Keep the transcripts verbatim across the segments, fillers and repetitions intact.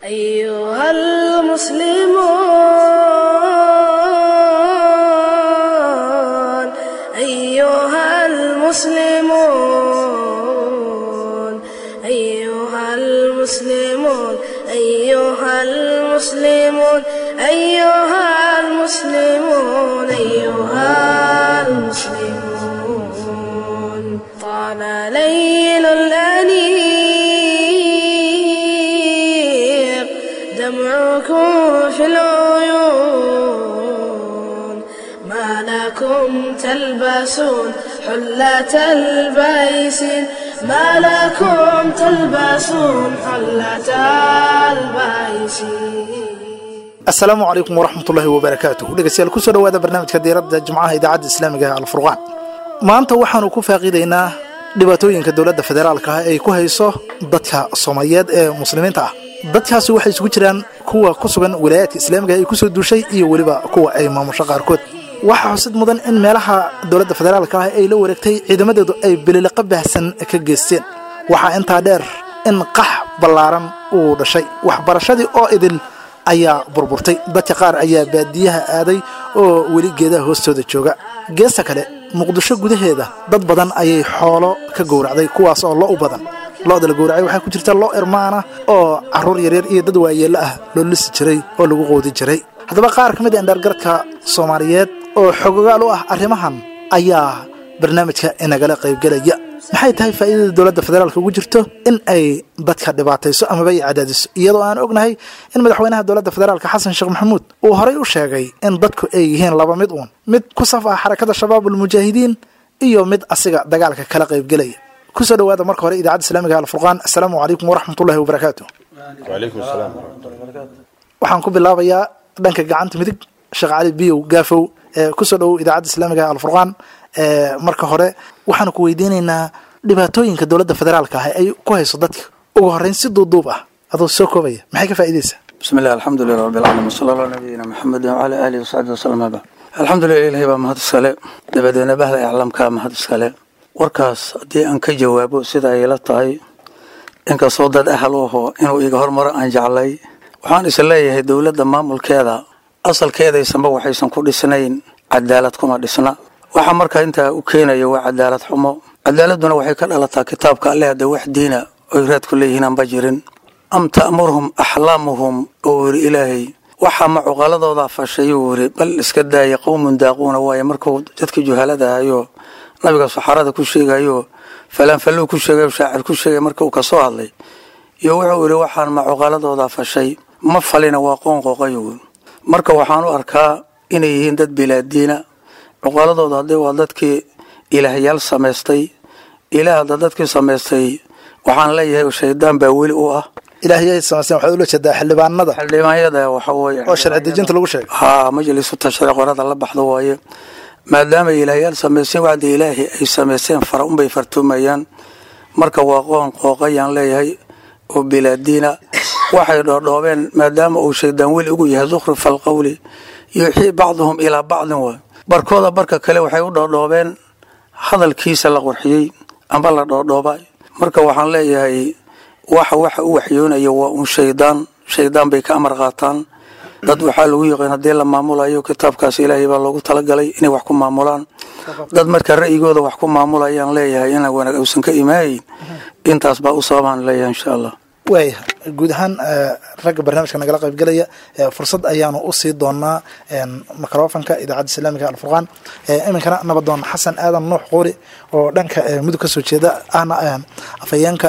أيها المسلمون، أيها المسلمون، أيها المسلمون، أيها المسلمون، أيها المسلمون، أيها المسلمون. طال ليل الأنيق دمعكم في العيون، ما لكم تلبسون حلة البيس، ما لكم تلبسون حلة البيس. Asalaamu calaykum waraxmatullaahi wabarakaatuh. Dhegeystayaal, kusoo dhawaada barnaamijka diiradda Jimcaha idaacadda islaamiga ee Alfurqaan. Maanta waxaanu ku faaqiidaynaa dhibaatooyinka dowladda federaalka ah ay ku hayso dadka Soomaaliyeed ee muslimiinta ah. Dadkaasi waxay isugu jiraan kuwa ku sugan wilaayaadka islaamiga ay kusoo duushay iyo weliba kuwa ay maamusho qaarkood. Waxaa xusid mudan in meelaha dowladda federaalka ah ay la wareegtay ciidamadeedu ay bililiqa baahsan ka geysteen. Waxaa intaa dheer in qax ballaaran uu dhashay, waxbarashadii oo idil ayaa burburtay, dadka qaar ayaa baadiyaha aaday oo weli geedaha hoostooda jooga. Geesta kale, Muqdisho gudaheeda dad badan ayay xoolo ka gowracday, kuwaas oo lo u badan. Lo'da la gowracay waxaa ku jirta lo irmaana oo carruur yaryar iyo dad waayeello ah loo lisi jiray oo lagu qoodi jiray. Haddaba qaar ka mid a indhaargaradka Soomaaliyeed oo xogogaal u ah arrimahan ayaa barnaamijka inagala qaybgelaya. Maxay tahay faa'iidada dowladda federaalka ugu jirto in ay dadka dhibaatayso amaba ay cadaadiso, iyadoo aan ognahay in madaxweynaha dowladda federaalka Xasan Sheekh Maxamuud uu horay u sheegay in dadku ay yihiin laba mid uun: mid ku saf ah xarakada Shabaabul Mujaahidiin iyo mid asiga dagaalka kala qaybgelaya? Kusoo dhawaada marka hore idaacadda islaamiga Alfurqaan. Assalaamu calaykum waraxmatullahi wabarakaatu. وعليكم السلام ورحمة الله وبركاته. Waxaan ku bilaabayaa dhanka gacanta midig, Sheekh Cali Biyow Gaafow. Ee kusoo dhowow idaacadda islaamiga Alfurqaan. Ee marka hore waxaanu ku weydiinaynaa dhibaatooyinka dowladda federaalka ah ay ku hayso dadka, ugu horreyn si duuduub ah adoo soo koobaya, maxay ka faa'iidaysaa? بسم الله، الحمد لله رب العالمين، وصلى الله على نبينا محمد وعلى آله وصحبه وسلم. بعد، الحمد لله، إلهي baa mahad iskale, dabadeedna bahda iclaamkaa mahad iskale. Warkaas haddii aan ka jawaabo sida ay la tahay, inkastoo dad ahal u aho inuu iga hormaro aan jeclay, waxaan is leeyahay dowladda maamulkeeda asalkeedaysanba waxaysan ku dhisnayn cadaalad, kuma dhisna. Waxa marka intaa u keenaya waa cadaalad xumo. Cadaaladuna waxay ka dhalataa kitaabka Alle. Hadda wax diina oy raad ku leeyihiin aanba jirin. Am ta'muruhum axlaamuhum, oo yiri Ilaahay, waxaa ma cuqaladooda fashay, uu yiri, bal iska daaya, qowmun daaquuna. Waaye markuu dadka juhalada ahayo nabiga saxarada ku sheegayo, falaanfalluu ku sheegayo, shaacir ku sheegay, marka uu kasoo hadlay iyo wuxuu yidhi: waxaan ma cuqaladooda fashay? Ma falina, waa qoon qooqayo. Marka waxaan u arkaa inay yihiin dad bilaadiina. Cuqaladooda haddii waa dadkii ilaahyaal samaystay, ilaah hadda dadkii samaystay, waxaan leeyahay shaydaan baa weli u ah. Ilaahiyay samaysteen waxaad ula jeedaa xildhibaanada? Xildhibaanyada waxa weeye oo sharci dejinta lagu sheegay. Haa, majlisu tashriic qorada la baxdo waaye. Maadaama ilaahyaal samaysteen, wacdi ilaahi ay samaysteen fara unbay fartuumayaan. Marka waa qoon qooqayaan leeyahay oo bilaadiina. Waxay dhoodhoobeen, maadaama uu shaydaan weli ugu yahay, zukhrufa alqawli yuuxii bacduhum ilaa bacdin, waay barkooda barka kale waxay u dhoodhoobeen hadalkiisa la qurxiyey amba la dhoodhoobay. Marka waxaan leeyahay waxa waxa u waxyoonaya waa un shaydaan, shaydaan bay ka amar qaataan. Dad waxaa lagu yiqiin haddii la maamulayo kitaabkaas Ilaahay baa loogu talagalay inay wax ku maamulaan. Dad marka ra'yigooda wax ku maamulayaan leeyahay, inaan wanaag uusan ka imaayin, intaas baa u sababaan leeyahay, insha Allah. Waaya, guud ahaan ragga barnaamijka nagala qaybgelaya fursad ayaanu usii doonaa microfonka idaacadda islaamiga Alfurqaan. Iminkana nabadoon Xasan Aadan Nuux Qoori oo dhanka Mudug kasoo jeeda, ahna afhayeenka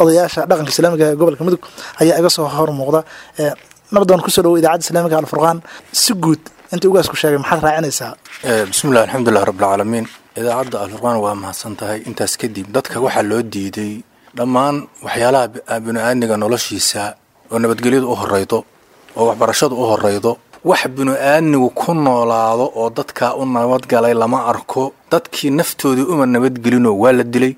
odayaasha dhaqanka islaamiga ee gobolka Mudug, ayaa iga soo hor muuqda. Nabadoon, kusoo dhawo idaacadda islaamiga Alfurqaan. Si guud inta ugaas ku sheegay maxaad raacinaysaa? Bismillahi, alxamdulilah rabbilcaalamiin. Idaacadda Alfurqaan waa mahadsan tahay. Intaas kadib, dadka waxaa loo diiday dhammaan waxyaalaha binu-aadmiga noloshiisa oo nabadgelyadu u horeydo oo waxbarashadu u horeydo. Wax binu-aadmigu ku noolaado oo dadkaa u nabadgalay lama arko. Dadkii naftoodii uma nabadgelinoo waa la dilay,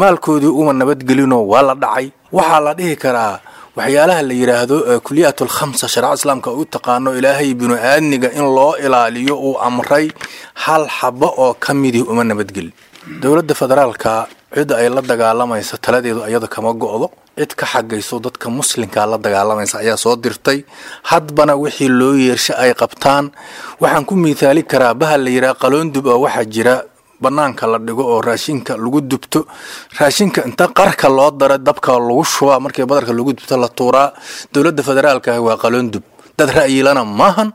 maalkoodii uma nabadgelinoo waa la dhacay. Waxaa la dhihi karaa waxyaalaha la yidhaahdo kuliyaat alkhamsa, shareecada islaamka u taqaano, Ilaahay binu-aadmiga in loo ilaaliyo uu amray, hal xabo oo ka midii uma nabadgelin. Dowladda federaalka Cidda ay la dagaalamaysa taladeedu ayada kama go'do, cid ka xagayso dadka muslimkaa la dagaalamaysa ayaa soo dirtay. Hadbana wixii loo yeersha ay qabtaan. Waxaan ku miithaali karaa bahal la yidhaha qaloondub oo waxaa jira banaanka la dhigo oo raashinka lagu dubto. Raashinka inta qarka loo dara dabka lagu shubaa, markii badarka lagu dubto la tuuraa. Dowladda federaalka ah waa qaloondub, dad ra'yilana maahan,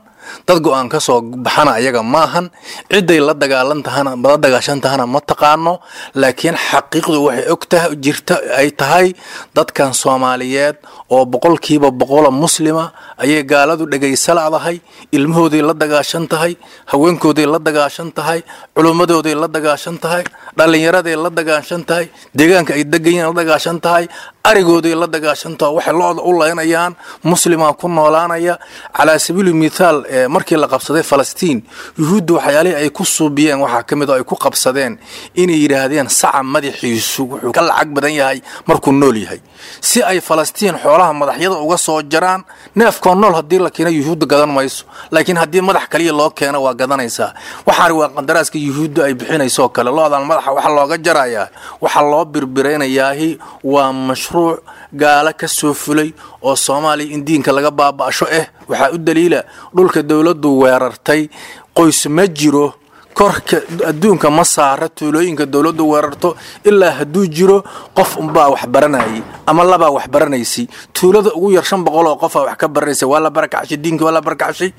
dad go-aan ka soo baxana ayaga maahan. Ciday la dagaalan tahana la dagaashan tahana ma taqaano, laakiin xaqiiqdu waxay og tahay jirta ay tahay dadkan Soomaaliyeed oo boqolkiiba boqola muslima ayay gaaladu dhegaysa la'dahay. Ilmahooday la dagaashan tahay, haweenkooday la dagaashan tahay, culummadooday la dagaashan tahay, dhallinyaraday la dagaashan tahay, deegaanka ay degan yihiin la dagaashan tahay, arigooday la dagaashan tahay. Waxay lo'da u laynayaan muslimaa ku noolaanaya. Calaa sabiili mithaal, markii la qabsaday Falastiin, yuhuudda waxyaalihii ay ku suubiyeen waxaa ka mid oo ay ku qabsadeen inay yidhaahdeen saca madaxiisu wuxuu ka lacag badan yahay markuu nool yahay, si ay Falastiin xoolaha madaxyada uga soo jaraan. Neefkoo nool haddii la keeno yuhuudda gadan mayso, laakiin haddii madax kaliya loo keeno waa gadanaysaa. Waxaani waa qandaraaska yuhuudda ay bixinayso kale. Lo'dan madaxa waxa looga jarayaa, waxaa loo birbiraynayaahi waa mashruuc gaalo ka soo fulay oo Soomaaliya in diinka laga baaba'sho eh. Waxaa u daliila dhulka dowladdu weerartay qoys ma jiro, korka adduunka ma saara tuulooyinka dowladdu weerarto, ilaa hadduu jiro qof unbaa wax baranayay ama labaa wax baranaysay. Tuulada ugu yar shan boqol oo qofaa wax ka baranaysa. Waa la barakacshay diinka, waa la barakacshay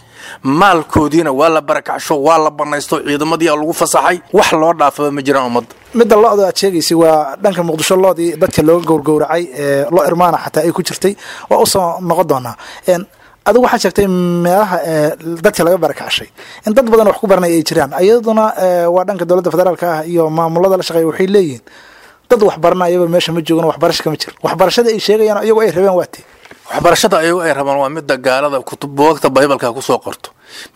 maalkoodiina, waa la barakacsho, waa la banaysto, ciidamadiia lagu fasaxay. Wax loo dhaafaba ma jiraan ummadda. Midda lo-da aad sheegaysay waa dhanka Muqdisho, loodii dadka looga gowrgowracay ee lo irmaana xataa ay ku jirtay, waa usoo noqon doonaa. Adigu waxaad sheegtay meelaha dadka laga barakacshay in dad badan wax ku baranaya ay jiraan, iyaduna waa dhanka dowladda federaalka ah iyo maamulada la shaqeeya. Waxay leeyihiin dad wax baranayaba meesha ma joogan, waxbarasha kama jiro. Waxbarashada ay sheegayaan iyagu ay rabeen waa tee? Waxbarashada ayagu ay rabaan waa midda gaalada kutub buugta baybalka kusoo qorto,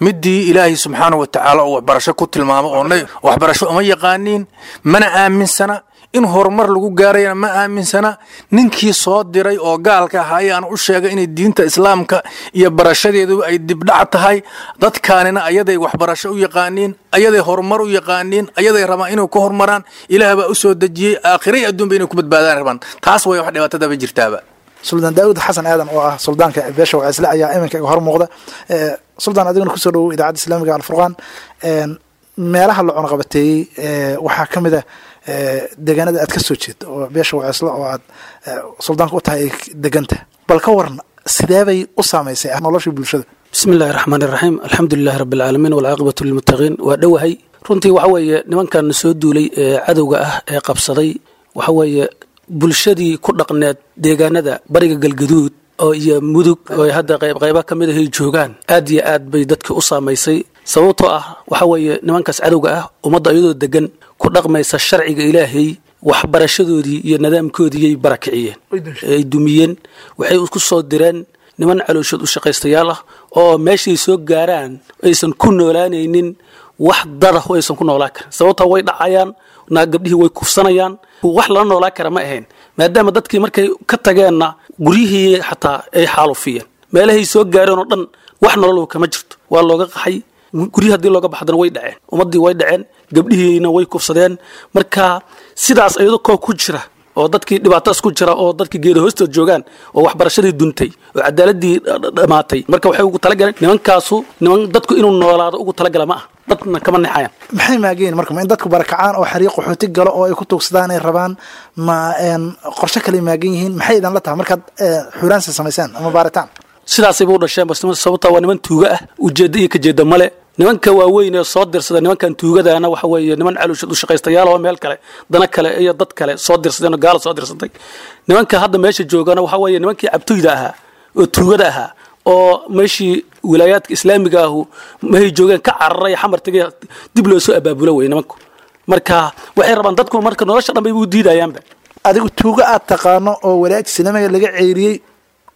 midii Ilaahay subxaanahu watacaala uu waxbarasho ku tilmaamo oo waxbarasho uma yaqaaniin, mana aaminsana in horumar lagu gaarayana, ma aaminsana. Ninkii soo diray oo gaalka ahaa ayaan u sheegay inay diinta islaamka iyo barashadeedu ay dibdhac tahay. Dadkaanina ayaday waxbarasho u yaqaaniin, ayaday horumar u yaqaaniin, ayaday rabaan inay ku horumaraan. Ilaah baa u soo dejiyey, aakhiray adduunba inay ku badbaadaan rabaan. Taas way wax dhibaatadaba jirtaaba. Suldaan Daawud Xasan Aadan oo ah suldaanka beesha Wacisle ayaa iminka iga hor muuqda. Suldaan, adiguna kusoo dhowow idaacadda islaamiga Alfurqaan. Meelaha la cunaqabateeyey waxaa ka mid a deegaanada aad ka soo jeedo oo beesha Wacisle oo aad suldaanka u tahay ay degantahay. Bal ka waran sideebay u saamaysay noloshii bulshada? Bismi illahi raxmaan iraxiim, alxamdu lilahi rabbi alcaalamiin, walcaaqibatu lilmuttaqiin. Waa dhowahay. Runtii waxa weeye nimankan soo duulay ee cadowga ah ee qabsaday waxa weeye bulshadii ku dhaqneed deegaanada bariga Galgaduud oo iyo Mudug oo ay hadda qayb qayba ka mid ahay joogaan, aad iyo aad bay dadkii u saamaysay. Sababtoo ah waxa weeye nimankaas cadowga ah ummadda iyadoo degan ku dhaqmaysa sharciga Ilaahay, waxbarashadoodii iyo nidaamkoodiiyay barakiciyeen, ay dumiyeen. Waxay isku soo direen niman calooshood u shaqaystayaal ah oo meeshay soo gaaraan aysan ku noolaanaynin, wax dada aysan ku noolaan karin. Sababtoo way dhacayaan, naa gabdhihii way kufsanayaan, wax lala noolaan kara ma ahayn. Maadaama dadkii markay ka tageenna guryihii xataa ay xaalufiyeen, meelahay soo gaareen oo dhan wax nolol kama jirto, waa looga qaxay. Guryihi haddii looga baxdana way dhaceen ummaddii, way dhaceen gabdhihiina, way kufsadeen. Marka sidaas iyadoo koo ku jira oo dadkii dhibaatadaas ku jira oo dadkii geeda hoostood joogaan oo waxbarashadii duntay oo cadaaladii dhammaatay, marka waxay ugu talagaleen nimankaasu niman dadku inuu noolaado ugu talagala ma ah, dadna kama nexayaan. Maxay maageen marka? Ma in dadku barakacaan oo xariiq qaxooti galo oo ay ku tuugsadaan ay rabaan? Ma qorshe kale maagan yihiin? Maxay idan la tahay markaad xuraansa samaysaan ama baaritaan? Sidaasayba u dhasheen bas, sababtaa waa niman tuuga ah, ujeedda iyo kajeedda male. Nimanka waaweyn ee soo dirsada nimankan tuugadana waxa weeye niman calooshood u shaqaystayaal oo meel kale dana kale iyo dad kale soo dirsadeen oo gaala soo dirsatay. Nimanka hadda meesha joogana waxa weeye nimankii cabtooyda ahaa oo tuugada ahaa oo meeshii wilaayaadka islaamiga ahu mahay joogeen ka cararay, Xamar tegay, dib loo soo abaabulo wey nimanku. Marka waxay rabaan dadku marka nolosha dhan bay u diidayaanba. Adigu tuuga aad taqaano oo walaayadka islaamiga laga ceyriyey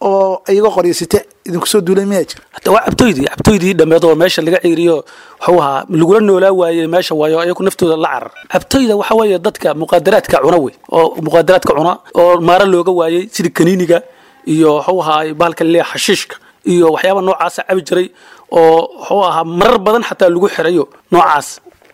oo iyagoo qoryeysate idinku soo duulay miyaa jira? Hata waa cabtoydii, cabtoydii dhammeed oo meesha laga ceeriyo wuxuu ahaa lagula noolaa waayey meesha, waayo ayagu naftooda la carar. Cabtoyda waxa weeye dadka muqaadaraadka cuna wey, oo muqaadaraadka cuna oo maara looga waayey, sida kaniiniga iyo wuxuu ahaa bahalka leeya xashiishka iyo waxyaaba noocaasa cabi jiray oo wuxuu ahaa marar badan xataa lagu xirayo noocaas.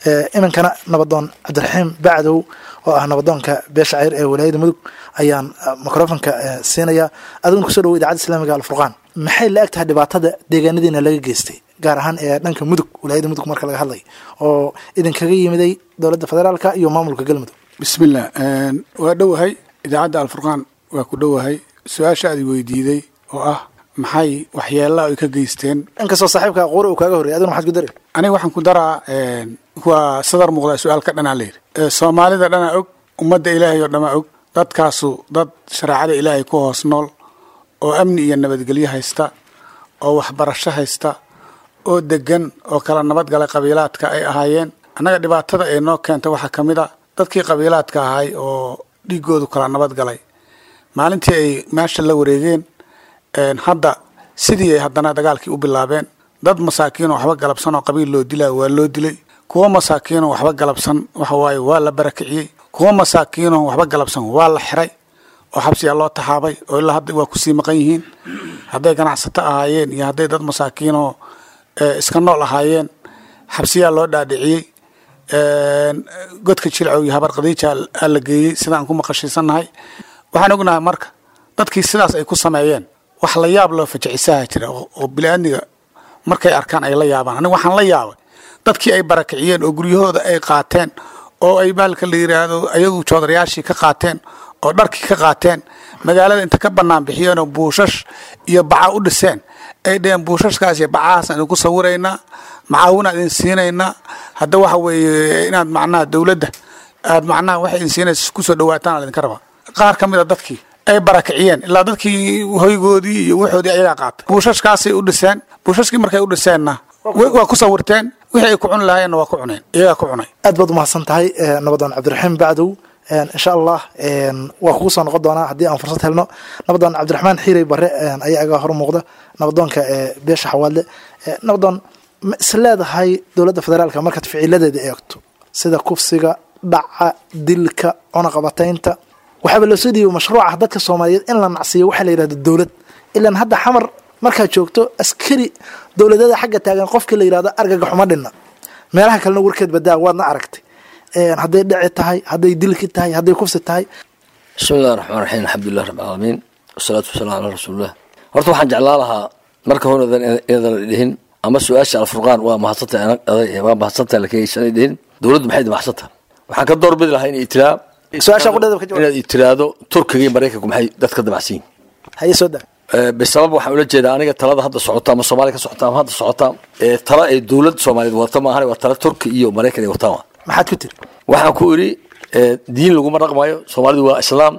Iminkana nabadoon Cabdiraxiim Bacdow oo ah nabadoonka beesha Ceyr ee walaayada Mudug ayaan microfonka siinaya. Adiguna kusoo dhawo Idaacadda Islaamiga Alfurqaan. Maxay la eg tahay dhibaatada deegaanadiina laga geystay, gaar ahaan ee dhanka Mudug, walaayada Mudug marka laga hadlay, oo idinkaga yimiday dowladda federaalka iyo maamulka Galmudug? Bismillah, waa dhowahay idaacadda Alfurqaan, waa ku dhowahay. Su-aasha aad weydiiday oo ah maxay waxyeelaa ay ka geysteen, inkastoo saaxiibka Quuri uu kaaga horreyay, adiguna maxaad ku dari? Aniga waxaan ku daraa, waa sadar muuqdaa su-aal ka dhanaa layidhi. Soomaalida dhanaa og, ummadda Ilaahay oo dhamaa og, dadkaasu dad shareecada Ilaahay ku hoos nool oo amni iyo nabadgelyo haysta oo waxbarasho haysta oo degan oo kala nabadgalay qabiilaadka ay ahaayeen. Annaga dhibaatada ay noo keenta waxaa ka mid a dadkii qabiilaadka ahay oo dhiigoodu kala nabadgalay maalintii ay meesha la wareegeen, hadda sidii ay haddana dagaalkii u bilaabeen. Dad masaakiinoo waxba galabsan oo qabiil loo dilaa waa loo dilay, kuwo masaakiinoo waxba galabsan waxa waaye waa la barakiciyey, kuwo masaakiinoo waxba galabsan waa la xiray oo xabsiyaa loo taxaabay oo ilaa hadda waa kusii maqan yihiin, hadday ganacsato ahaayeen iyo hadday dad masaakiinoo iska nool ahaayeen xabsiyaa loo dhaadhiciyey. Godka Jilcow iyo Habar Qadiija aa la geeyey sidaan ku maqashiisannahay. Waxaan ognahay marka dadkii sidaas ay ku sameeyeen wax la yaab loo fajicisaha jira oo bili-aadmiga markay arkaan ay la yaabaan. Aniga waxaan la yaabay dadkii ay barakiciyeen oo guryahooda ay qaateen oo ay baalka la yiraahdo ayagu joodarayaashii ka qaateen oo dharkii ka qaateen, magaalada inta ka bannaan bixiyeen oo buushash iyo baca u dhiseen, ay dheheen buushashkaas iyo bacahaasaan idinku sawiraynaa, macaawinaan idin siinaynaa, hadda waxa weeye inaad macnaha dowladda aad macnaha waxay idin siinaysa kusoo dhawaataan aa idinka rabaa. Qaar ka mid a dadkii ay barakiciyeen ilaa dadkii hoygoodii iyo waxoodii ayagaa qaatay, buushashkaasay u dhiseen. Buushashkii markay u dhiseenna waa ku sawirteen, wixii ay ku cuni lahaayeenna waa ku cuneen, iyagaa ku cunay. Aad baad umahadsan tahay nabadoon Cabdiraxiim Bacdow. Insha Allah waa kugu soo noqon doonaa haddii aan fursad helno. Nabadoon Cabdiraxmaan Xiirey Bare ayaa iga hor muuqda, nabadoonka beesha Xawaadle. Nabadoon, ma is leedahay dowladda federaalka markaad ficiladeeda eegto sida kufsiga, dhaca, dilka, cunaqabataynta, waxaaba loo soo dhiibay mashruuca dadka Soomaaliyeed in la nacsiiyo waxaa la yidhahdo dowlad? Ilaan hadda Xamar markaad joogto askari dowladada xagga taagan qofkii la yidhahdo argagaxuma dhinna, meelaha kalena warkeed badaa waadna aragtay, hadday dhici tahay, hadday dilki tahay, hadday kufsi tahay. Bismi illahi raxmaan raxiim, alxamdulilah rabbi alcaalamiin, wasalaatu wasalaamu calaa rasuulillah. Horta waxaan jeclaan lahaa marka hore inaadan dhihin ama su-aasha Alfurqaan waa mahadsantahay, waa mahadsantahay, laakiin dhihin dowladdu maxay damacsantahay. Waxaan ka doorbidi lahaa in tiraa su-aasha qudheeda ka jawaab, inaad tiraahdo Turkiga iyo Maraykanku maxay dadka damacsan yihiin. Haye, soo daa. Bisabab waxaan ula jeedaa aniga talada hadda socota ama Soomaaliya ka socota ama hadda socota ee tala ay dowlad Soomaaliyeed wadata maahan, waa tala Turki iyo Maraykan ay wataan. Maxaad ku tiri? Waxaan ku idhi diin laguma dhaqmayo, Soomaalidu waa islaam.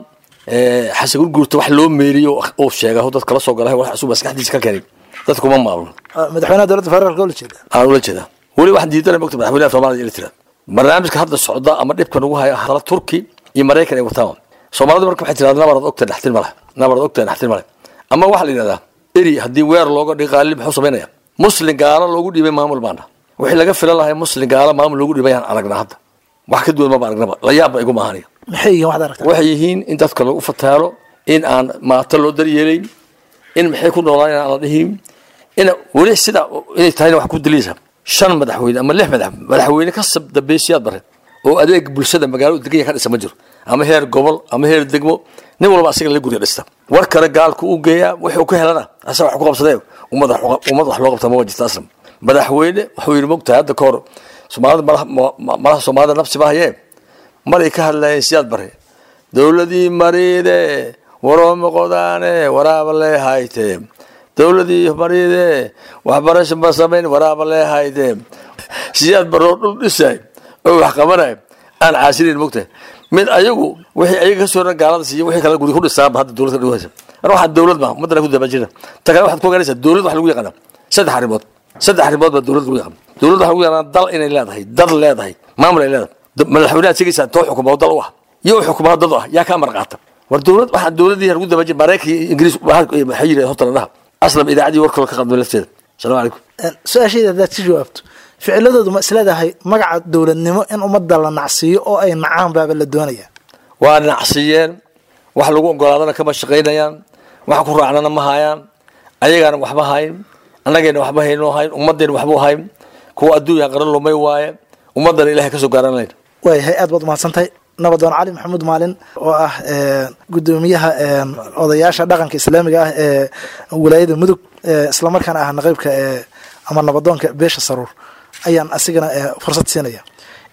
Xasan Gurguurta wax loo meeriyo oo sheega dad kala soo galay, wax cusub maskaxdiisa ka keenay, dadku ma maamulo. Madaxweynaha dowladda federaalka ula jeeda? Aan ula jeedaa. Weli waxaan diidanay mogta madaxweynaha Soomaaliya ila tira barnaamijka hadda socda ama dhibka nagu haya tala Turki iyo Maraykan ay wataan. Soomaalidu marka waxay tirahdaa nabarad ogta dhaxtin malaha, nabarad ogta dhaxtin malaha, ama waxaa la yidhahdaa eri haddii weer looga dhigo qaalib muxuu samaynaya? Muslim gaalo loogu dhiibay maamul maana wixii laga filan lahay muslim gaalo maamul loogu dhiibay ayaan aragnaa hadda, wax ka duwan maba aragnaba, la yaabba igu maahaniga. Maxay yihiin waxaad aragtaa? Waxay yihiin in dadka lagu fataalo, in aan maato loo daryeelayn, in maxay ku noolaan aan la dhihin, in weli sida inay tahayna wax ku dilaysa. Shan madaxweyne ama lix madax madaxweyne ka dambeysyaad bare oo adeeg bulshada magaalada degan ka dhisa ma jiro, ama heer gobol ama heer degmo, nin walba asiga la guriga dhista, war kale gaalku u geeyaa, wuxuu ka helana asaga wax ku qabsadee, ummad ummad wax loo qabta ma jirta aslam. Madaxweyne wuxuu yidhi mogtahay hadda ka hor Soomaalida malaha malaha Soomaalida nafsi ma hayee, maray ka hadlayeen Siyaad Bare, dowladii mariide warooma qodaane waraaba lee hayte, dowladii mariide waxbarasho ma samayn waraaba lee hayte. Siyaad Bare oo dhul dhisay oo wax qabanay aan caasinayn mogtahay, mid ayagu wixii ayaga ka soo ran gaalada siiyo wixii kale guri ku dhisaanba hadda dowladda ka dhigaysa. Mar waxaa dowlad ma ummadana ku daba jirta. Ta kale waxaad ku ogaanaysaa dowlad waxa lagu yaqaanaa saddex arrimood, saddex arrimood baa dowlad lagu yaqaan. Dowlad waxa lagu yaqaanaa dal inay leedahay, dad leedahay, maamul ay leedahay. Madaxweynaha sheegaysaa too xukuma dal u ah iyo u xukumaa dad u ah, yaa ka amar qaata? War dowlad waxaa dowladii lagu daba jira Maraykanka iyo Ingiriis waxay yidhahdeen horta la dhaha aslam idaacaddii warkooda ka qadmay lafteeda. Asalaamu calaykum. Su-aashayda haddaad si jawaabto, ficiladoodu ma isleedahay magaca dowladnimo in ummadda la nacsiiyo oo ay nacaan baaba la doonaya? Waa nacsiiyeen, wax lagu ogolaadana kama shaqaynayaan, wax ku raacnana ma hayaan, ayagaana waxba hayn, annagayna waxba haynoo hayn, ummadayna waxba hayn, kuwa adduunya qaran lumay waaye, Ummaddana Ilahay kasoo gaaran layn. Waayahay, aad baad umahadsan tahay. Nabadoon Cali Maxamuud Maalin oo ah gudoomiyaha odayaasha dhaqanka islaamiga ah ee wilaayada Mudug, islamarkaana ah naqaybka ama nabadoonka beesha Saruur, ayaan asigana fursad siinaya.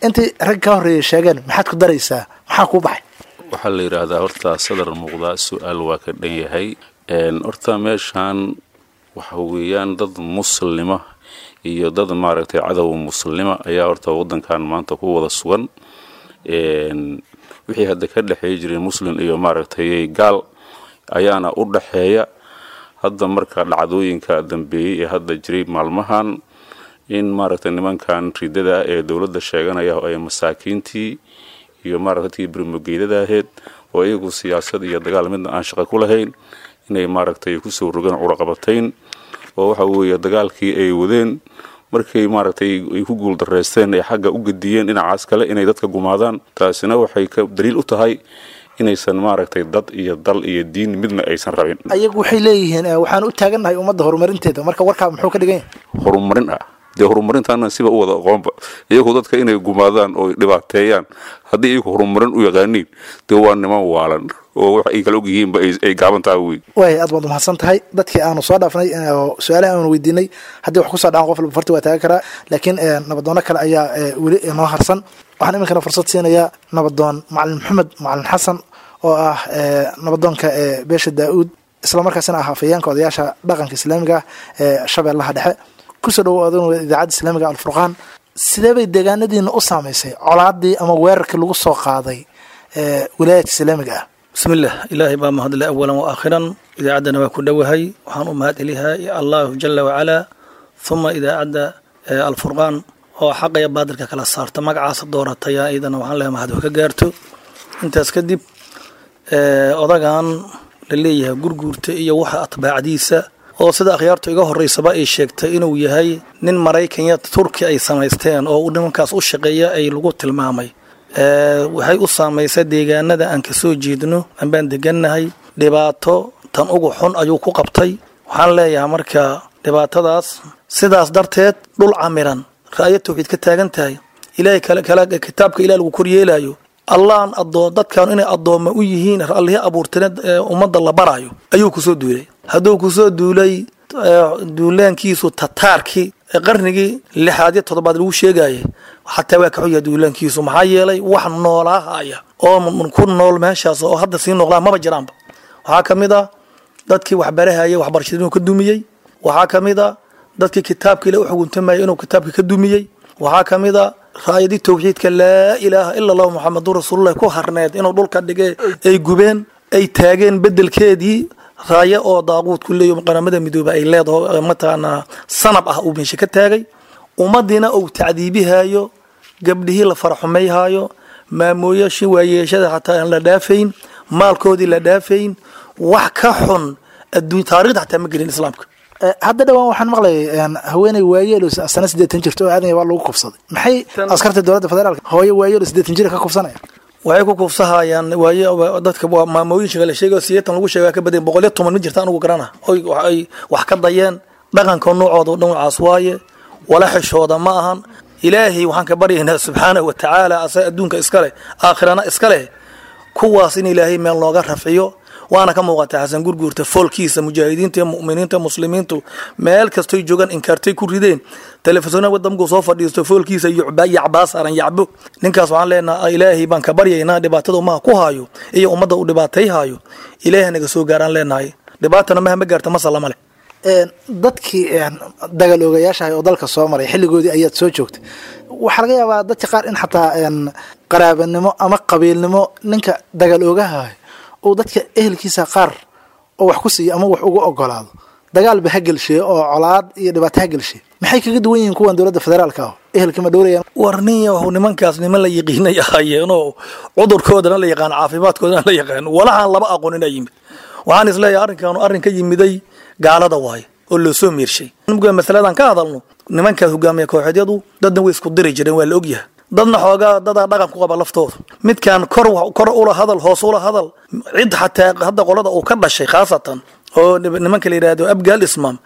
Intii rag ka horreeyay sheegeen maxaad ku daraysaa? Maxaa kuu baxay? Waxaa la yidhaahdaa horta sadar muuqdaa su-aal waa ka dhan yahay. Horta meeshaan waxa weeyaan dad muslima iyo dad maaragtay cadow muslima ayaa horta waddankan maanta ku wada sugan. Wixii hadda ka dhexeey jiray muslim iyo maaragtay gaal ayaana u dhaxeeya hadda. Marka dhacdooyinka dambeeyey ee hadda jiray maalmahan, in maaragtay nimankan ridada ee dowladda sheeganaya ay masaakiintii iyo maaragtay dadkii birmogeydada ahayd oo iyagu siyaasad iyo dagaal midna aan shaqo ku lahayn inay maaragtay kusoo rogaan curaqabatayn, oo waxa weeye dagaalkii ay wadeen markay maaragtay ay ku guuldareysteen ay xagga u gediyeen dhinacaas kale inay dadka gumaadaan. Taasina waxay ka daliil u tahay inaysan maaragtay dad iyo dal iyo diin midna aysan rabin. Ayagu waxay leeyihiin waxaan u taagannahay ummadda horumarinteeda, marka warkaa muxuu ka dhigan yahay? Horumarin ah dee, horumarintaana siba u wada aqoonba iyagu dadka inay gumaadaan oo dhibaateeyaan haddii iyagu horumarin u yaqaaniin, dee waa niman waalan oo wax ay kala ogyihiinba ay gaaban tahay wey. Waay, aad baad umahadsan tahay. Dadkii aanu soo dhaafnay oo su-aalaha aanu weydiinay haddii wax kusoo dhacan qof walba farti waa taagan karaa, laakiin nabadoono kale ayaa weli inoo harsan. Waxaan iminkana fursad siinayaa nabadoon Macalin Maxamed Macalin Xasan oo ah nabadoonka beesha Daa-uud, islamarkaasina ah afayeenka odayaasha dhaqanka islaamiga ah ee Shabeellaha Dhexe. Kusoo dhawo idaacadda islaamiga Alfurqaan. Sidee bay deegaanadiina u saamaysay colaadii ama weerarkii lagu soo qaaday wilaayadka islaamiga ah? Bismillaah, Ilaahay baa mahadle awalan wa aakhiran. Idaacaddana waa ku dhowahay. Waxaan u mahad celiyaa Allahu jala wacalaa, uma idaacadda Alfurqaan oo xaqaya baadilka kala saarta magacaasa doorataya, iyadana waxaan leeyahay mahad wax ka gaarto. Intaas kadib, odagan la leeyahay Gurguurta iyo waxa atbaacdiisa oo sida akhyaartu iga horeysaba ay sheegtay inuu yahay nin Maraykanya Turki ay samaysteen oo uu nimankaas u shaqeeya ay lagu tilmaamay, waxay u saamaysay deegaanada aan kasoo jeedno ambaan degannahay dhibaato tan ugu xun ayuu ku qabtay. Waxaan leeyahay marka dhibaatadaas sidaas darteed dhul camiran ra'yo tawxiid ka taagan tahay, Ilaahay kale kitaabka Ilaah lagu koryeelayo, Allahan adoo dadkan inay addooma u yihiin Allihii abuurtana ummadda la baraayo ayuu kusoo duulay. Hadduu kusoo duulay duulaankiisu tataarkii qarnigii lixaad iyo toddobaad lagu sheegayay xataa waa ka xun yahay duulaankiisu, maxaa yeelay wax noolaahaya oo ku nool meeshaas oo hadda sii noqdaa maba jiraanba. Waxaa ka mid ah dadkii waxbarahayay waxbarashada inuu ka dumiyey, waxaa ka mid a dadkii kitaabka Ilaah u xuguntamayay inuu kitaabka ka dumiyey, waxaa ka mid a raayadii tawxiidka laa ilaaha ila Allahu Muxamadun rasuulullah ku harneed inuu dhulka dhigay, ay gubeen, ay taageen bedelkeedii raayo oo daaquud ku leeyo Qaramada Midoobe ay leedaho mataqaanaa sanab ah uu meesha ka taagay. Ummadiina uu tacdiibihayo, gabdhihii la faraxumayhayo, maamooyashii waayeeshada xataa aan la dhaafayn, maalkoodii la dhaafayn, wax ka xun adduun taariikhda xataa ma gelin islaamka. Hadda dhawaan waxaan maqlayay haweeney waayeelo sana siddeetan jirto oo aadan waa lagu kufsaday. Maxay askarta dowladda federaalka hooyo waayeelo siddeetan jir ka kufsanaya? Waxay ku kufsahayaan waaye dadka maamooyinka la sheegayo sideetan lagu sheega ka badan boqol iyo toban ma jirta anugu garana oy ay wax ka dayeen. Dhaqanka noocooda dhinacaas waaye, wala xishooda ma ahan. Ilaahay waxaan ka baryaynaa subxaanahu wa tacaala, asa adduunka iska leh aakhirana iska leh, kuwaas in Ilaahay meel nooga rafciyo. Waana ka muuqata Xasan Gurguurta foolkiisa mujaahidiinta iyo mu'miniinta muslimiintu meel kastoy joogaan inkaartay ku rideen. Telefisyoonada waddanku soo fadhiisto foolkiisa yucba yacbaa saaran yacbo ninkaas. Waxaan leenahay Ilaahay baan ka baryaynaa dhibaatada ummaha ku haayo iyo ummadda uu dhibaatayhaayo Ilaahay naga soo gaaraan leenahay. Dhibaatana maha ma gaarta masala leh. Dadkii dagaal oogayaashahay oo dalka soo maray xilligoodii ayaad soo joogtay. Waxaa laga yaabaa dadka qaar in xataa qaraabanimo ama qabiilnimo ninka dagaal oogahahay uu dadka ehelkiisa qaar oo wax ku siiyo ama wax ugu ogolaado dagaalba ha gelsheeyo oo colaad iyo dhibaato ha gelsheeyo. Maxay kaga duwan yihiin kuwan dowladda federaalka ah? Ehelka ma dhowrayaan? War nin yahow, nimankaas niman la yiqiinay ahaayeenoo cudurkoodana la yaqaan, caafimaadkoodana la yaqaan, walahaan laba aqoon inaa yimid. Waxaan isleeyahay arrinkaanu arrin ka yimiday gaalada waaye oo loo soo miirshay. Masaladan ka hadalno, nimankaas hogaamiya kooxeedyadu dadna way isku diri jireen, waa la ogyahay, dadna xoogaa dadaa dhaqan ku qaba laftooda. Midkaan kor kor ula hadal, hoos ula hadal, cid xataa hadda qolada uu ka dhashay khaasatan Oo nimanka la yidhaahdo Abgaal Ismaam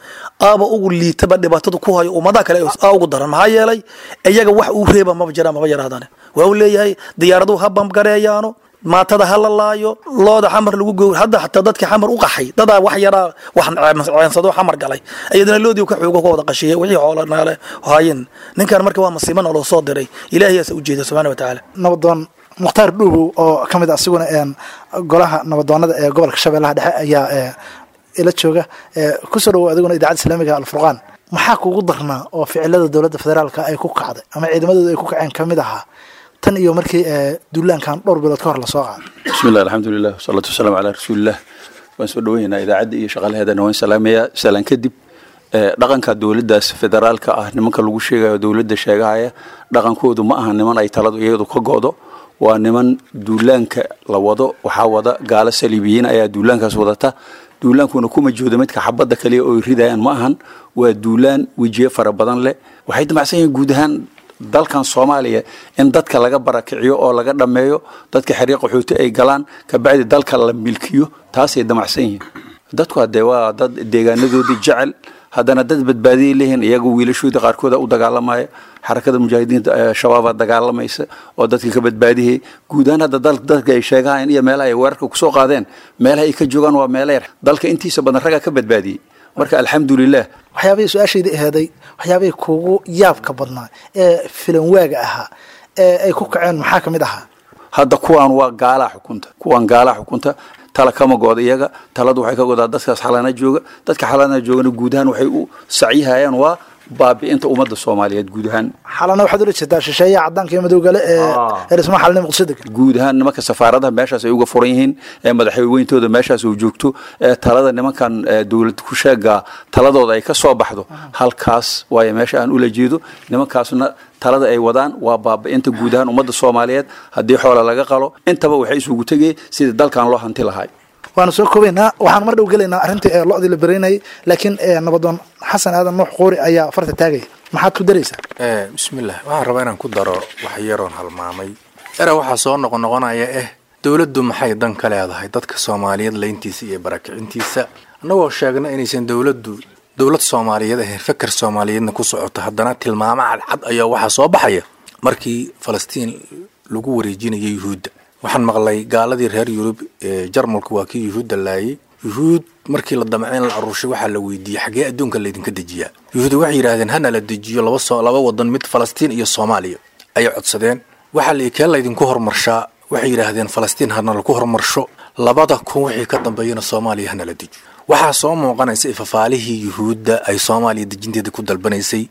aaba ugu liitaba dhibaatada ku hayo ummadaha kale aa ugu daran, maxaa yeelay iyaga wax uu reeba maba jiraan, maba yarahdaan. Waa uu leeyahay diyaaraduhu ha bamgareeyaano, maatada ha la laayo, looda Xamar lagu gowr. Hadda xataa dadka Xamar u qaxay dadaa wax yaraa wax ceensado Xamar galay, iyadana loodii ka xoogo ka wada qashiyay wixii xoola naale haayeen ninkan. Marka waa masiibo naloo soo diray, Ilaahiyaasa ujeeda subxaana wa tacaala. Nabadoon Mukhtaar Dhuubow oo ka mid ah asiguna golaha nabadoonada ee gobolka Shabeellaha Dhexe ayaa ila jooga. Kusoo dhawow adiguna Idaacadda Islaamiga Alfurqaan. Maxaa kugu darnaa oo ficilada dowladda federaalka ay ku kacday ama ciidamadooda ay ku kaceen kamid ahaa tan iyo markii duulaankan dhowr bilood ka hor lasoo qaaday? Bismillah, alxamdulilah, wasalaatu wasalaamu calaa rasuulillah. Waan soo dhaweynaa idaacadda iyo shaqaalaheedana, waan salaamayaa. Salaan kadib, dhaqanka dowladdaas federaalka ah, nimanka lagu sheegayo dowladda sheegahaya, dhaqankoodu ma aha niman ay taladu iyadu ka go'do. Waa niman duulaanka la wado waxaa wada gaalo saliibiyiin ayaa duulaankaas wadata. Duulaankuna kuma joodo midka xabadda kaliya oo ridayaan ma ahan, waa duulaan wejiye fara badan leh. Waxay damacsan yihiin guud ahaan dalkan Soomaaliya in dadka laga barakiciyo oo laga dhammeeyo, dadka xeryo qaxooti ay galaan, kabacdi dalka la milkiyo. Taasay damacsan yihiin. Dadku haddee waa dad deegaanadoodii jecel, haddana dad badbaadiyay leeyihiin iyagu. Wiilashoodii qaarkooda u dagaalamaya, Xarakada Mujaahidiinta Shabaabaa dagaalamaysa oo dadka ka badbaadiyay. Guud ahaan hadda dadka ay sheegahayeen iyo meelaha ay weerarka kusoo qaadeen, meelaha ay ka joogaan waa meelo yar. Dalka intiisa badan raggaa ka badbaadiyey, marka alxamdulilah. Waxyaabihii su-aashayda aheeday, waxyaabihii kugu yaabka badnaa ee filan waaga ahaa ee ay ku kaceen maxaa kamid ahaa? Hadda kuwaan waa gaalaa xukunta, kuwaan gaalaa xukunta, tala kama gooda iyaga. Taladu waxay ka godaa dadkaas Xalana jooga. Dadka Xalana joogana guud ahaan waxay u sacyihayaan waa baabi'inta ummadda Soomaaliyeed guud ahaan. Xalana waxaad ula jeedaa shisheeyaha caddaanka iyo madowgale ee ee dhismaha Xalana Muqdisho degan. Guud ahaan nimanka safaaradaha meeshaas ay uga furan yihiin, ee madaxweyntooda meeshaas uu joogto, ee talada nimankan dowlad ku sheega taladooda ay ka soo baxdo halkaas waayo meesha aan ula jeedo. Nimankaasna talada ay wadaan waa baabi'inta guud ahaan ummadda Soomaaliyeed. Haddii xoola laga qalo intaba, waxay isugu tegay sidii dalkan loo hanti lahay. Waanu soo koobaynaa, waxaan mar dhow gelaynaa arrintii ee lo-dii la beraynayay, laakiin nabadoon Xasan Aadan Nuux Quuri ayaa farta taagaya. Maxaad ku daraysaa? Bismillah, waxaan rabaa inaan ku daro wax yaroon halmaamay. Era waxaa soo noqonoqonaya eh dowladdu maxay dan ka leedahay dadka Soomaaliyeed layntiisa iyo barakicintiisa? Annagoo sheegna inaysan dowladdu dowlad Soomaaliyeed ahayn, fakar Soomaaliyeedna ku socoto, haddana tilmaamo cadcad ayaa waxaa soo baxaya. Markii Falastiin lagu wareejinayay Yuhuudda, waxaan maqlay gaaladii reer Yurub ee Jarmalku waa kii Yuhuudda laayay. Yuhuud markii la damceen la aruurshay, waxaa la weydiiyey xaggee adduunka laydinka dejiyaa? Yuhuudda waxay yidhaahdeen hana la dejiyo laba soo laba wadan mid, Falastiin iyo Soomaaliya ayay codsadeen. Waxaa la kee laydinku horumarshaa? Waxay yidhaahdeen Falastiin hana laku horumarsho, labada kun wixii ka dambeeyana Soomaaliya hana la dejiyo. Waxaa soo muuqanaysa ifafaalihii Yuhuudda ay Soomaaliya dejinteeda ku dalbanaysay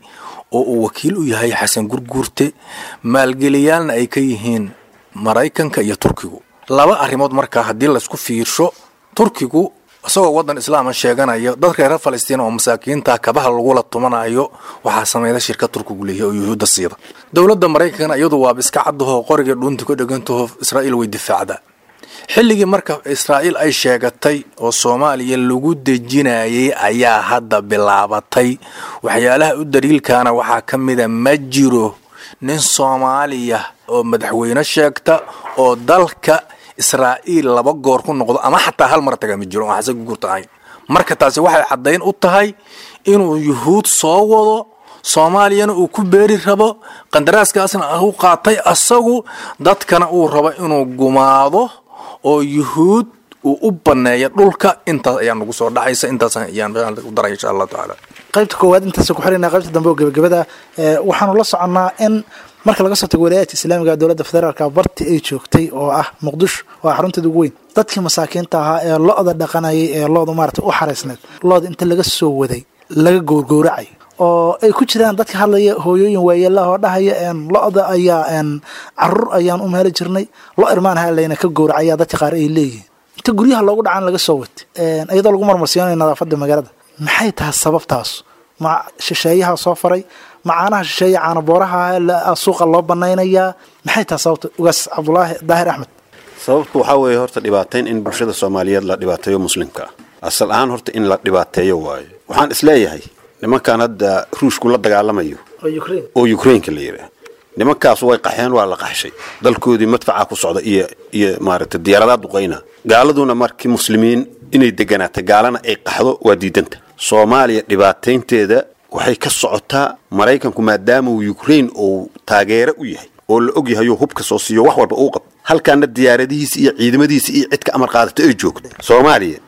oo uu wakiil u yahay Xasan Gurguurte, maalgeliyaalna ay ka yihiin Maraykanka iyo Turkigu. Laba arrimood markaa haddii laysku fiirsho, Turkigu isagoo waddan islaama sheeganaya, dadka reer Falastiin oo masaakiinta kabaha lagula tumanayo waxaa sameeyda shirkad Turkigu leeyahay oo Yuhuudda siida. Dowladda Maraykankana iyadu waaba iska caddaho, qoriga dhuunta ku dhegantaho, Israa'iil way difaacdaa. Xilligii marka Israa'iil ay sheegatay oo Soomaaliya lagu dejinayay ayaa hadda bilaabatay. Waxyaalaha u daliilkaana waxaa ka mida, ma jiro nin Soomaaliya oo madaxweyne sheegta oo dalka Israa'iil laba goor ku noqdo ama xataa hal mar taga, ma jiro oo Xasan Gurguurta ahayn. Marka taasi waxay caddayn u tahay inuu Yuhuud soo wado, Soomaaliyana uu ku beeri rabo, qandaraaskaasna u qaatay asagu, dadkana uu rabo inuu gumaado oo Yuhuud uu u baneeyo dhulka. Intaas ayaa nagu soo dhacaysa, intaas ayaan u daray insha Allah tacaala. Qaybta koowaad intaas ku xirina, qaybta dambe oo gabagabada waxaanu la soconnaa in marka laga soo tago walaayaadka islaamiga, dowladda federaalka barti ay joogtay oo ah Muqdisho oo ah xarunteeda ugu weyn, dadkii masaakiinta ahaa ee lo-da dhaqanayay ee lo-da maarata u xaraysneed, lo-da inta laga soo waday laga goorgooracay, oo ay ku jiraan dadka hadlaya hooyooyin waayeelaha oo dhahaya lo-da ayaa caruur ayaan u meeli jirnay, lo irmaanha layna ka gowracaya. Dadka qaar ay leeyihiin inta guryaha loogu dhacaan laga soo watay iyadoo lagu marmarsiinayo nadaafadda magaalada. Maxay tahay sababtaas? Ma shisheeyaha soo faray? Macaanaha shisheeya caana booraha suuqa loo banaynayaa? Maxay tahay sababta, Ugaas Cabdulaahi Daahir Axmed? Sababtu waxaa weeye horta dhibaateyn in bulshada Soomaaliyeed la dhibaateeyo, muslimka ah asal ahaan horta in la dhibaateeyo waayo. Waxaan isleeyahay nimankan hadda Ruushku la dagaalamayo oo Ukrainka la yidhaah, nimankaas way qaxeen, waa la qaxshay, dalkoodii madfaca ku socda iyo iyo maaragtay diyaaradaha duqayna. Gaaladuna markii muslimiin Inay deganaato, gaalana ay qaxdo, waa diidanta. Soomaaliya dhibaataynteeda waxay ka socotaa Maraykanku, maadaama uu Ukraine uu taageero u yahay oo la og yahay oo hubka soo siiyo, wax walba uu qabto, halkaana diyaaradihiisa iyo ciidamadiisa iyo cid ka amar qaadato ay joogto Soomaaliya.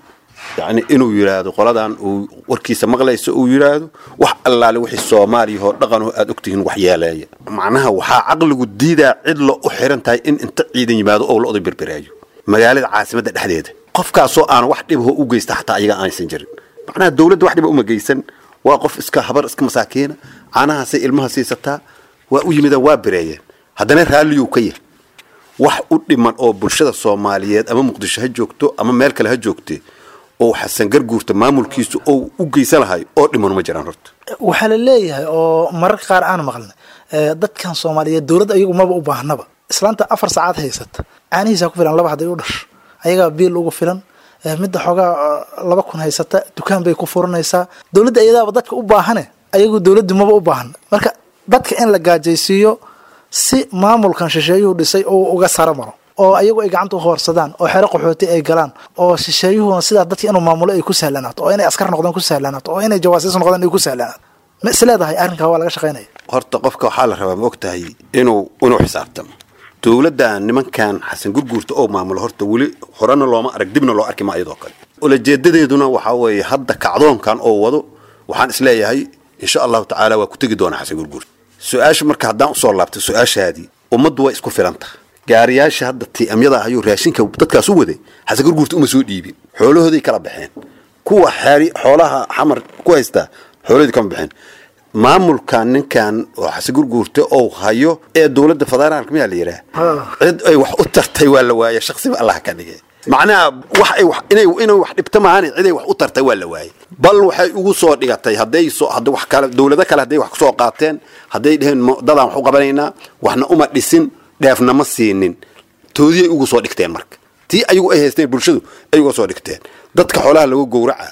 Yacni inuu yidhaahdo qoladan uu warkiisa maqlayso, uu yidhaahdo wax allaale wixii Soomaaliya oo dhaqan oo aad ogtihiin wax yeeleeya, macnaha waxaa caqligu diidaa cid lo u xiran tahay in inta ciidan yimaado oo lo-da berbereeyo magaalada caasimadda dhexdeeda, qofkaasoo aan wax dhibaho u geysta xataa ayaga aanaysan jirin. Macnaha dowladda wax dhiba uma geysan, waa qof iska habar iska masaakiina, caanahaasay ilmaha siisataa, waa u yimidaan, waa bereeyeen, haddana raalliyuu ka yahay. Wax u dhiman oo bulshada Soomaaliyeed, ama Muqdisho ha joogto ama meel kale ha joogte, oo Xasan Garguurta maamulkiisu oo u geysan lahay oo dhiman ma jiraan horta. Waxaa la leeyahay oo mararka qaar aan maqlnay, dadkan Soomaaliyeed dowladda ayagu maba u baahnaba. Islaanta afar saacad haysata caanihiisa ku filan, laba hadday u dhasho ayagaa biil ugu filan. Midda xoogaa laba kun haysata dukaan bay ku furanaysaa. Dowladda iyadaaba dadka u baahane, ayagu dowladdu maba u baahan. Marka dadka in la gaajaysiiyo si maamulkan shisheeyuhu dhisay oo uga saro maro, oo ayagu ay gacanta u hoorsadaan, oo xero qaxooti ay galaan, oo shisheeyuhuna sidaa dadka inuu maamulo ay ku sahlanaato, oo inay askar noqdaan ku sahlanaato, oo inay jawaasiis noqdaan ay ku sahlanaato, ma isleedahay arrinkaa waa laga shaqaynaya? Horta qofka waxaa la rabaa, ma og tahay, inuu inuu xisaabtamo. Dowladda nimankan Xasan Gurguurta oo maamulo horta weli horena looma arag, dibna loo arki ma iyadoo kale. Ulajeedadeeduna waxaa weeye hadda kacdoonkan oo wado, waxaan isleeyahay insha Allahu tacaala waa ku tegi doonaa Xasan Gurguurta. Su-aasha marka haddaan usoo laabtay su-aashaadii, ummaddu way isku filan tahay. Gaariyaasha hadda tiamyada ahayuu raashinka dadkaas u waday Xasan Gurguurta uma soo dhiibin, xoolahooday kala baxeen. Kuwa xeeri xoolaha Xamar ku haystaa xoolahoodii kama baxeen. Maamulkan ninkan oo Xasan Gurguurta oo hayo ee dowladda federaalka miyaa la yidhaah, cid ay wax u tartay waa la waayay, shaksiba Allah ka dhigay. Macnaha wax ay wax inay inay wax dhibto maahan, cid ay wax u tartay waa la waayay. Bal waxay ugu soo dhigatay hadday soo hadda wax kale, dowlado kale hadday wax kusoo qaateen, hadday dheheen dadaan wax u qabanaynaa, waxna uma dhisin, dheefna ma siinin, toodiyay ugu soo dhigteen. Marka tii ayagu ay haysteen bulshadu ay uga soo dhigteen dadka xoolaha lagu gowraca,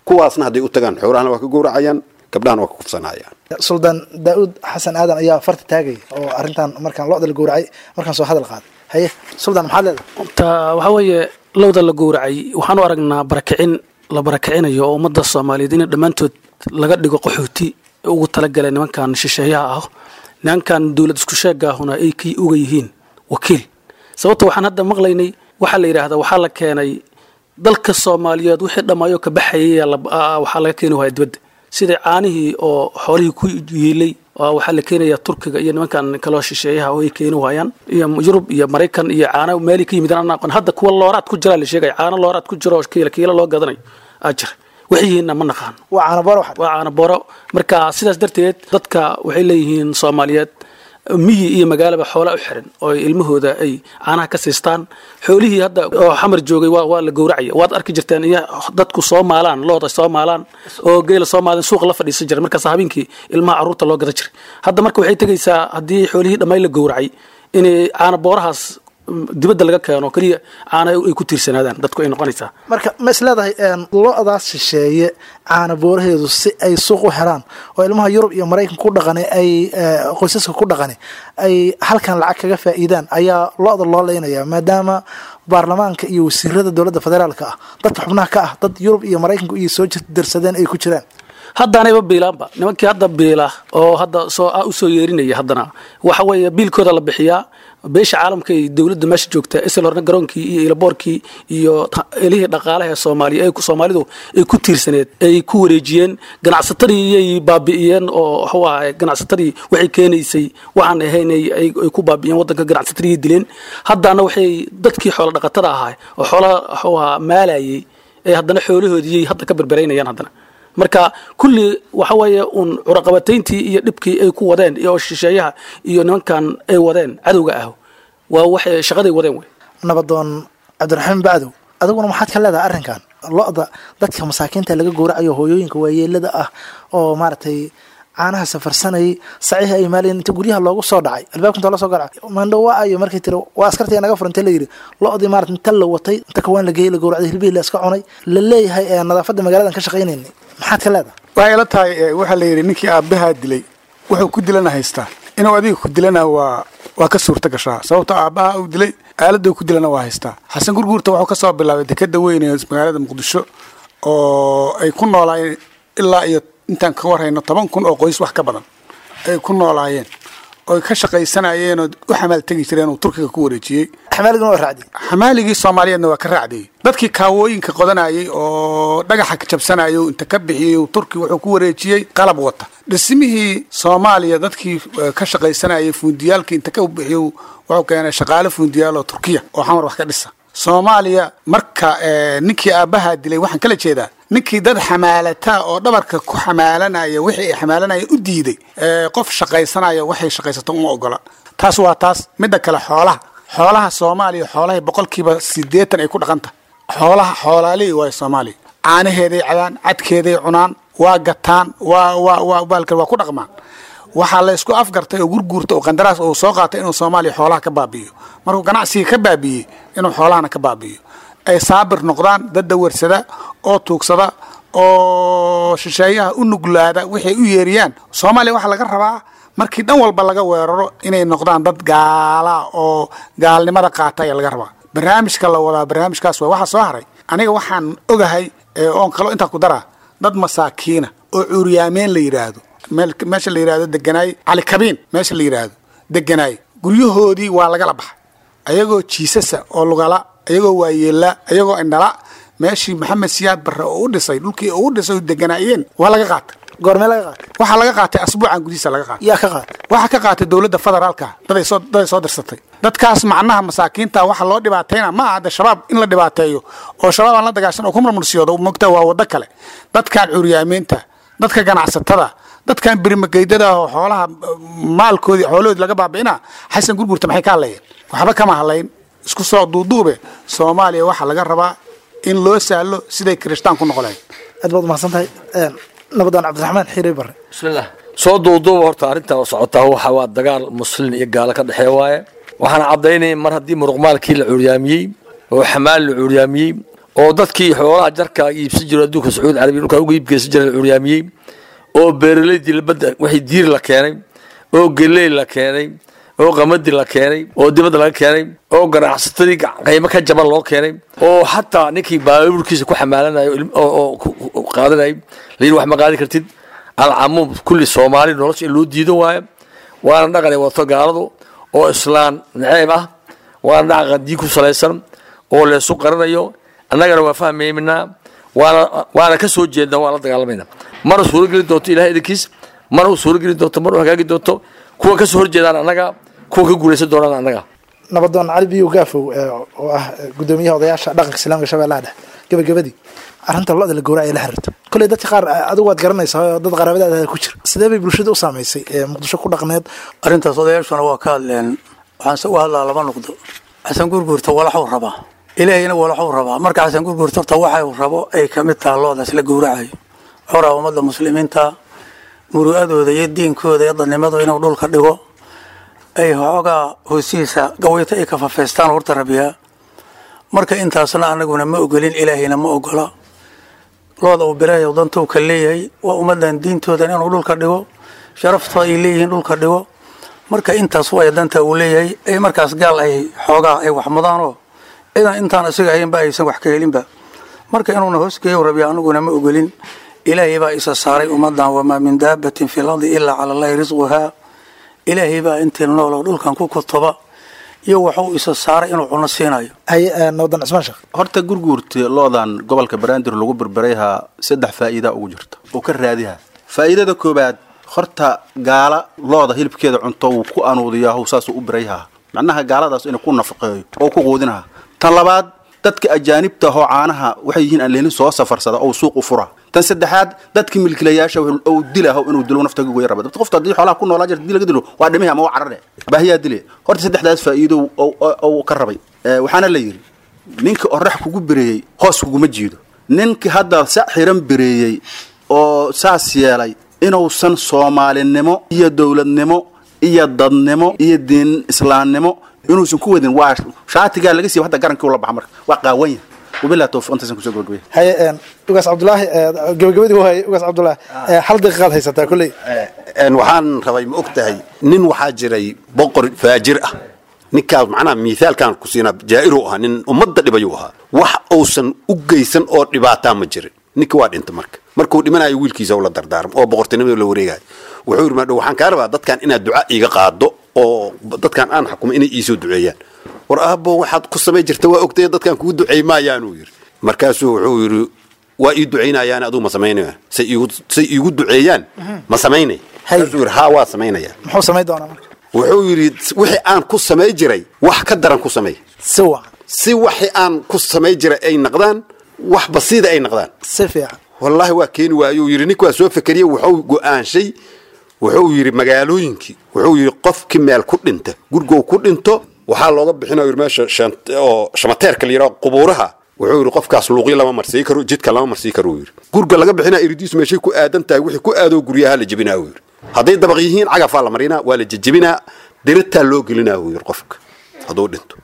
kuwaasna hadday u tagaan xoolahana waa ka gowracayaan, gabdhahana waa ka kufsanayaan. Suldaan Daa-uud Xasan Aadan ayaa farta taagaya oo arrintan markaan lo-da la gowracay markaan soo hadal qaaday. Haye suldaan, maxaad leedahay? Ta waxaa weeye lowda la gowracay waxaan u aragnaa barakicin la barakicinayo oo ummadda Soomaaliyeed in dhammaantood laga dhigo qaxooti ugu talagalay nimankan shisheeyaha ah, nimankan dowlad isku sheega ahuna ay kii uga yihiin wakiil. Sababta waxaan hadda maqlaynay waxaa la yidhaahdaa waxaa la keenay dalka Soomaaliyeed wixii dhammaayo ka baxayay, waxaa laga keeni waaya dibadda, sida caanihii oo xoolihii ku yiilay waxaa la keenayaa Turkiga iyo nimankan kaloo shisheeyaha oo ay keeni waayaan, iyo Yurub iyo Maraykan iyo caano meelii ka yimid aan aqoon. Hadda kuwa looraad ku jira la sheegaya, caano looraad ku jira oo kiila kiila loo gadanayo aa jira, waxay yihiinna ma naqaano. Waa caano booro. Waa caano booro. Marka sidaas darteed dadka waxay leeyihiin Soomaaliyeed miyi iyo magaalaba xoola u xiran oo ilmahooda ay caanaha ka siistaan. Xoolihii hadda oo Xamar joogay waa waa la gowracaya. Waad arki jirteen iyo dadku soo maalaan looda, soo maalaan oo geela soo maalaan, suuqa la fadhiisan jiray, markaas habeenkii ilmaha carruurta loo gada jiray. Hadda marka waxay tegaysaa haddii xoolihii dhammayn la gowracay inay caana boorahaas dibadda laga keeno keliya caana ay ku tiirsanaadaan dadku ay noqonaysaa. Marka ma is leedahay lo-daas shisheeye caana booraheedu si ay suuq u helaan oo ilmaha Yurub iyo Maraykan ku dhaqani ay qoysaska ku dhaqani ay halkan lacag kaga faa'iidaan ayaa lo-da loo leynaya, maadaama baarlamaanka iyo wasiirada dowladda federaalka ah dadka xubnaha ka ah dad Yurub iyo Maraykanku iyo soo dirsadeen ay ku jiraan? Haddaanayba biilaanba nimankii hadda biila oo hadda soo usoo yeerinaya, haddana waxa weeye biilkooda la bixiyaa beesha caalamka iyo dowladda meesha joogta. Isla horna garoonkii iyo ilaboorkii iyo elihii dhaqaalaha ee Soomaaliya ay Soomaalidu ay ku tiirsaneed ay ku wareejiyeen ganacsatadii, iyay baabi'iyeen oo wuxuu ahay ganacsatadii waxay keenaysay waxaan ahayn ay ku baabi'iyeen waddanka, ganacsatadii dileen. Haddana waxay dadkii xoolo dhaqatada ahaa oo xoolaha wuxuu ahaa maalayay ee haddana xoolahoodii hadda ka berberaynayaan haddana. Marka kulli waxa weeye uun curaqabatayntii iyo dhibkii ay ku wadeen iyo shisheeyaha iyo nimankan ay wadeen cadowga ah waa waxay shaqaday wadeen wey. Nabadoon Cabdiraxmaan Bacdow, adiguna maxaad ka leedahay arrinkan lo-da dadka masaakiinta laga gowracayo, hooyooyinka waayeelada ah oo maaragtay caanaha safarsanayay, saciihi ay maalayeen, inta guryaha loogu soo dhacay, albaabka inta loo soo garacay, maandho waa ayo markay tiri waa askartii naga furantay la yidhi, lo-dii maarata inta la watay inta kawaan la geeyey la gowracday, hilbihii la iska cunay, la leeyahay ee nadaafadda magaaladan ka shaqaynaynay, maxaad ka leedahay? Waxay ila tahay waxaa la yidhi ninkii aabbahaa dilay wuxuu ku dilana haystaa inuu adiga ku dilana waa Waa ka suurta gashaa, sababta aabbaha uu dilay aaladda ku dilana waa haystaa. Xasan Gurguurta wuxuu kasoo bilaabay dekeda weyn ee magaalada Muqdisho oo ay ku noolaayeen ilaa iyo intaan ka warhayno toban kun oo qoys wax ka badan ay ku noolaayeen oy ka shaqaysanayeen oo u xamaal tegi jireen, uu Turkiga ku wareejiyey. Xamaaliguna waa raacday. Xamaaligii Soomaaliyeedna waa ka raacdiyey. Dadkii kaawooyinka qodanayay oo dhagaxa ka jabsanayay oo inta ka bixiyey uu Turki wuxuu ku wareejiyey qalab wata. Dhismihii Soomaaliya dadkii ka shaqaysanayay, fuundiyaalkii inta ka bixiyey, wuxuu keenay shaqaale fuundiyaal oo Turkiya oo Xamar wax ka dhisa Soomaaliya. Marka ninkii aabbaha dilay, waxaan kala jeedaa ninkii dad xamaalataa oo dhabarka ku xamaalanaya wixii ay xamaalanaya u diiday, qof shaqaysanaya waxay shaqaysato uma ogola. Taas waa taas. Midda kale, xoolaha xoolaha Soomaaliya, xoolahay boqolkiiba siddeetan ay ku dhaqan tahay xoolaha, xoolaalihii waayo Soomaaliya. Caanaheeday cabaan, cadkeeday cunaan, waa gataan, waa waa waa baalka waa ku dhaqmaan. Waxaa la isku afgartay oo Gurguurta oo qandaraas uu soo qaatay inuu Soomaaliya xoolaha ka baabi'iyo. Markuu ganacsiga ka baabi'iyey, inuu xoolahana ka baabi'iyo, ay saabir noqdaan dad dawarsada oo tuugsada oo shisheeyaha u nuglaada waxay u yeeriyaan. Soomaaliya waxaa laga rabaa markii dhan walba laga weeraro inay noqdaan dad gaala oo gaalnimada qaata ayaa laga rabaa. Barnaamijka la wadaa barnaamijkaas waa. Waxa soo haray, aniga waxaan ogahay oon kalo intaa ku daraa, dad masaakiina oo cuuryaameen la yidhaahdo meesha la yidhaahdo deganaay, Cali Kabiin meesha la yidhaahdo deganaay, guryahoodii waa lagala baxay ayagoo jiisasa oo lugala, ayagoo waayeela, ayagoo indhala. Meeshii Maxamed Siyaad Barre oo u dhisay, dhulkii oo u dhisay deganaayeen waa laga qaatay. Goormee laga qaatay? Waxaa laga qaatay asbuucan gudihiisa laga qaatay. Yaa ka qaatay? Waxaa ka qaatay dowladda federaalka, daday soo daday soo dirsatay. Dadkaas macnaha masaakiinta waxa loo dhibaatayna ma aha hadda Shabaab in la dhibaateeyo oo Shabaab aan la dagaashan oo ku murmursiyoodo mogta, waa waddo kale. Dadkan curyaamiinta, dadka ganacsatada, dadkan birimageydada oo xoolaha maalkoodii xoolahoodii laga baabi'ina, Xasan Gurgurta maxay ka hadlayeen? Waxba kama hadlayn. Isku soo duuduube, Soomaaliya waxaa laga rabaa in loo sahlo siday kirishtaan ku noqon lahayd. Aad baad umahadsan tahay, Nabadaan Cabdiraxmaan Xiire Bare. Bismillah. Soo duuduuba, horta arrintan oo socotaa waxa waa dagaal Muslin iyo gaalo ka dhexeeya waaye. Waxaana caddaynaya mar haddii muruqmaalkii la cuuryaamiyey oo xamaal la cuuryaamiyey oo dadkii xoolaha jarka iibsan jiro adduunka Sacuudi Carabiya dhulka uga iibgeysan jiray la cuuryaamiyey oo beeraleydii badda wixii diir la keenay oo geley la keenay oo qamadi la keenay oo dibadda laga keenay oo ganacsatadii qiimo ka jaban loo keenay oo xataa ninkii baabuurkiisa ku xamaalanayo oo qaadanayay layidhi wax ma qaadi kartid. Alcamuum kulli Soomaali nolosha in loo diidan waayo, waana dhaqan ay wadato gaaladu oo islaan naceeb ah, waana dhaqan diin ku salaysan oo leesu qarinayo. Annagana waa fahmaynaa, waana waana ka soo jeednaa, waa la dagaalamayna. Mana suuro gelin doonto Ilahay idinkiis, mana u suuro gelin doonto, mana u hagaagi doonto. Kuwa ka soo horjeedaan annaga, kuwa ka guulaysan doonaan annaga. Nabadoon Cali Biyo Gaafow oo ah gudoomiyaha odayaasha dhaqanka islaamka Shabeellaha Dhexe, gabagabadii, arrinta lo'da la gowraca ee la xiriirta, kolley dadka qaar adigu waad garanaysaa oo dad qaraabadaada ku jira, sidee bay bulshada u saamaysay ee Muqdisho ku dhaqneed? Arrintaas odayaashuna waa ka hadleen. Waxaanse u hadlaa laba noqdo. Xasan Gurguurta walaxuu rabaa, Ilaahayna walaxuu rabaa. Marka Xasan Gurguurta horta waxay rabo ay ka mid taha loodaas la gowracayo. Wuxuu rabaa ummadda muslimiinta muru'adooda iyo diinkooda iyo dadnimadu inuu dhulka dhigo, ay xoogaa hoostiisa gawayto ay ka fafeystaan horta rabiyaa. Marka intaasna anaguna ma ogolin, Ilaahayna ma ogola. Looda uu birahay dantuu ka leeyahay waa ummaddan diintoodan inuu dhulka dhigo, sharaftooda ay leeyihiin dhulka dhigo. Marka intaas way danta uu leeyahay ay markaas gaal ay xoogaa ay wax mudaanoo ciidan intaan isaga ahaynba aysan wax ka helinba. Marka inuuna hoosgeeyo rabiya, anaguna ma ogolin. Ilaahay baa isa saaray ummaddan, wamaa min daabatin fi lardi ilaa cala Allahi risquhaa. Ilaahay baa intii nooloo dhulkan ku kutuba iyo wuxuu isa saaray inuu cuno siinayo. Nabadan Cismaan Sheekh. Horta Gurguurta loodan gobolka Banaadir lagu berberayhaa saddex faa'iida ugu jirta oo ka raadiha. Faa'iidada koobaad, horta gaala looda hilibkeeda cunto wuu ku anuudiyaa, saasuu u birayhaa, macnaha gaaladaas inuu ku nafaqeeyo oo ku quudinaha. Tan labaad, dadka ajaanibta ahoo caanaha waxay yihiin aan leelin soo safarsada oo suuq u fura. Tan saddexaad, dadka milkiilayaasha oo dilaho inuu dilo nafta goy raba. Dadka qofta haddii xoolaha ku noolaa jirta dii laga dilo waa dhimihi ama waa carare baahiyaa dile. Horta saddexdaas faa'iido oo ka rabay. Waxaana la yidhi ninka orax kugu bireeyey hoos kuguma jiido. Ninka hadda sac xiran bireeyey oo saas yeelay inuusan Soomaalinimo iyo dowladnimo iyo dadnimo iyo diin islaamnimo inuusan ku wadin, waa shaatigaa laga siiba hadda garankii ula baxa, marka waa qaawan yahay. Wabillahi tawfiiq, intaasan kusoo gabagabay. Haye, Ugaas Cabdullaahi, gabagabadii waay. Ugaas Cabdullaahi, hal daqiiqaad haysataa kolley. Waxaan rabay, ma og tahay, nin waxaa jiray boqor faajir ah. Ninkaas macnaha miithaalkan ku siinaa, jaa'iru ahaa, nin ummadda dhibayuu ahaa. Wax uusan u geysan oo dhibaataa ma jirin. Ninka waa dhinta. Marka markuu dhimanayo wiilkiisa la dardaarmo oo boqortinimada la wareegayo, wuxuu yidhi: "Maadhow waxaan kaa rabaa dadkan inaad duca iiga qaado oo dadkan aan xukumo inay iisoo duceeyaan." "War aabbo, waxaad ku samay jirta waa ogtay, dadkan kugu duceey maayaanuu yidhi. Markaasuu wuxuu yidhi: "Waa ii ducaynayaan, aduu ma samaynaya? Say iigu say iigu duceeyaan ma samaynay?" Markaasuu yidhi: "Haa, waa samaynaya." Muxuu samayn doonaa marka? Wuxuu yidhi: "Wixii aan ku samay jiray wax ka daran ku samey." Si wacan. Si waxii aan ku samay jiray ay naqdaan wax basiida ay naqdaan. Si fiican. Wallaahi waa keeni waayuu yidhi. Ninka waa soo fekeriyey, wuxuu go'aanshay, wuxuu yidhi magaalooyinkii, wuxuu yidhi qofkii meel ku dhinta, gurgow ku dhinto, waxaa looga bixinaya yidhi meesha oo shamateerka la yidhaho, qubuuraha. Wuxuu yidhi qofkaas luuqyo lama marsii karo, jidka lama marsii karo. Yidhi gurga laga bixinaa iridiisu meeshay ku aadan tahay, wixii ku aadoo guryaha la jebinaa. Uu yidhi hadday dabaq yihiin cagafaa la marinaa, waa la jejebinaa, diritaa loo gelinaa. Uu yidhi qofka hadduu dhinto,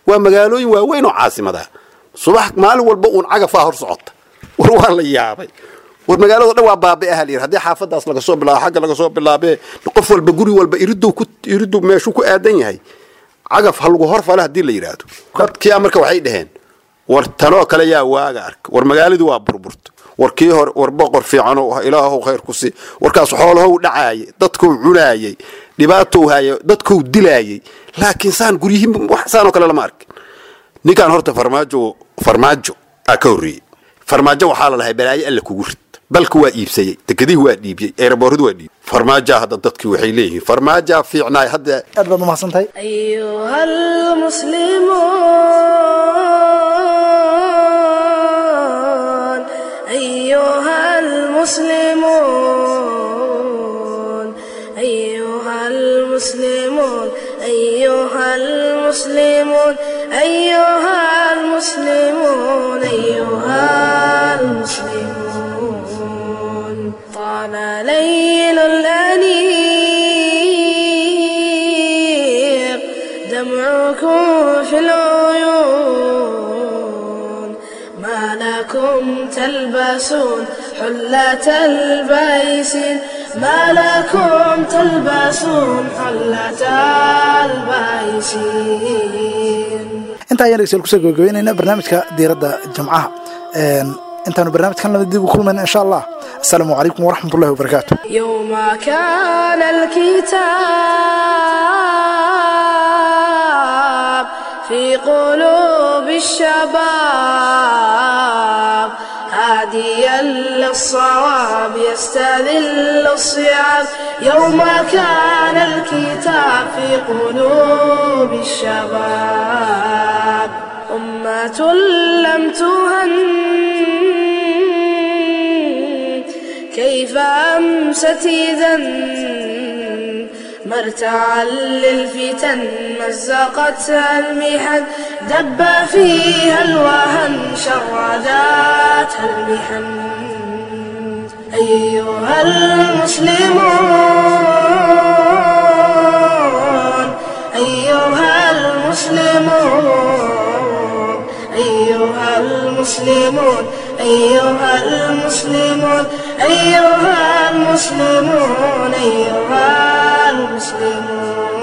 waa magaalooyin waaweyn oo caasimadaha, subax maalin walba uun cagafaa hor socota. War waa la yaabay, war magaalada dhan waa baabi'aha la yidhi. Haddii xaafadaas laga soo bilaabo, xagga laga soo bilaabee, qof walba guri walba iriduu ku iriduu meeshuu ku aadan yahay cagaf ha lagu hor fala haddii la yidhaahdo. Dadkii marka waxay dhaheen: "War tanoo kale yaa waaga arka? War magaaladii waa burburta. War kii hore, war boqor fiicanoo, ilaahow khayr ku sii. Warkaas xoolahow dhacaayay, dadkuu cunaayay, dhibaatou haayay, dadkuu dilaayay, laakiin saan guryihiin wax saanoo kale lama arkin." Ninkaan horta Farmaajo, Farmaajo aa ka horreeyey. Farmaajo waxaa la lahay balaayo alle kugu rid. Dalku waa iibsayey, dekedihii waa dhiibiyey, eerabooradu waa dhiibiyey. Farmaajaa hadda dadkii waxay leeyihiin Farmaajaa fiicnaay hadda. Aad baad umahadsan tahay. أيها المسلمون، أيها المسلمون، أيها المسلمون، أيها المسلمون، أيها المسلمون، أيها المسلمون. طال ليل الأنيق دمعكم في العيون، ما لكم تلبسون حلة البيس، ما لكم تلبسون حلة البيسين. Intaa ayaan dhegeystayaal kusoo gabagabeynayna barnaamijka diiradda Jimcaha. Intaanu barnaamijkan lama dib u kulmayna insha Allah, asalaamu calaykum waraxmat ullahi wabarakaatu. يوم كان الكتاب في قلوب الشباب، هاديا للصواب يستذل الصعاب. يوم كان الكتاب في قلوب الشباب، أمة لم تهن كيف أمست إذا، مرتعا للفتن مزقتها المحن، دب فيها الوهن شرداتها المحن. أيها المسلمون، أيها المسلمون، أيها المسلمون، أيها المسلمون، أيها المسلمون، أيها المسلمون.